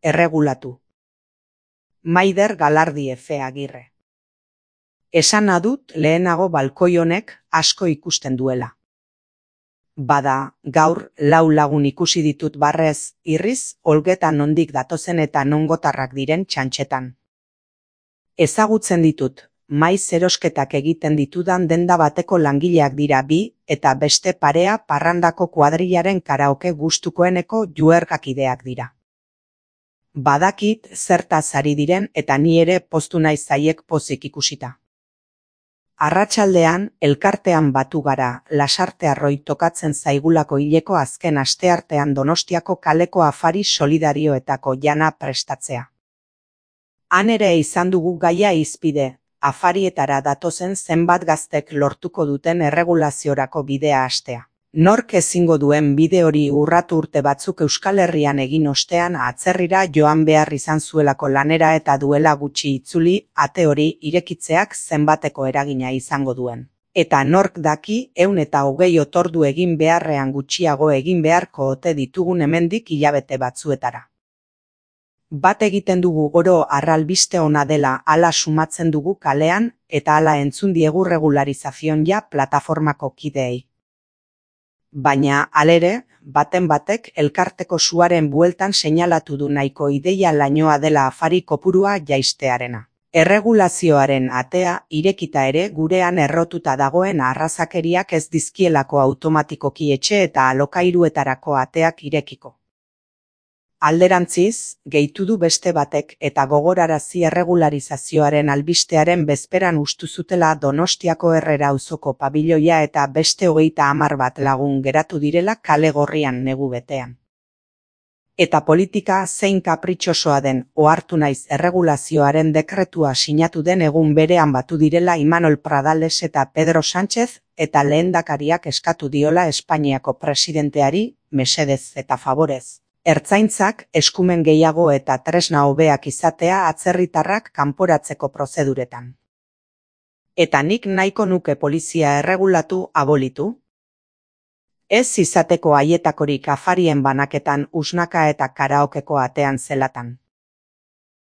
erregulatu. Maider Galardi Efe Agirre. Esana dut lehenago balkoi honek asko ikusten duela. Bada, gaur 4 lagun ikusi ditut barrez, irriz, olgetan nondik datozen eta nongotarrak diren txantxetan. Ezagutzen ditut, maiz erosketak egiten ditudan denda bateko langileak dira bi, eta beste parea parrandako kuadrilaren karaoke gustukoeneko juergakideak dira. Badakit zertaz ari diren eta ni ere poztu naiz haiek pozik ikusita. Arratsaldean, elkartean batu gara, Lasarte Arroi tokatzen zaigulako hileko azken asteartean Donostiako kaleko afari solidarioetako jana prestatzea. Han ere izan dugu gaia hizpide, afarietara datozen zenbat gaztek lortuko duten erregulaziorako bidea hastea. Nork ezingo duen bide hori urratu urte batzuk Euskal Herrian egin ostean atzerrira joan behar izan zuelako lanera eta duela gutxi itzuli, ate hori irekitzeak zenbateko eragina izango duen. Eta nork daki 120 otordu egin beharrean gutxiago egin beharko ote ditugun hemendik hilabete batzuetara. Bat egiten dugu oro arralbiste ona dela hala sumatzen dugu kalean eta hala entzun diegu regularizazion ja plataformako kideei. Baina, alere, baten batek elkarteko suaren bueltan seinalatu du nahiko ideia lainoa dela afari kopurua jaistearena. Erregulazioaren atea irekita ere gurean errotuta dagoen arrazakeriak ez dizkielako automatikoki etxe eta alokairuetarako ateak irekiko. Alderantziz, gehitu du beste batek eta gogorarazi erregularizazioaren albistearen bezperan ustu zutela Donostiako Herrera auzoko pabiloia eta beste 30 bat lagun geratu direla kale gorrian negu betean. Eta politika zein kapritxosoa den ohartu naiz erregulazioaren dekretua sinatu den egun berean batu direla Imanol Pradales eta Pedro Sánchez eta lehendakariak eskatu diola Espainiako presidenteari, mesedez eta favorez. Ertzaintzak eskumen gehiago eta tresna hobeak izatea atzerritarrak kanporatzeko prozeduretan. Eta nik nahiko nuke polizia erregulatu abolitu? Ez izateko haietakorik afarien banaketan usnaka eta karaokeko atean zelatan.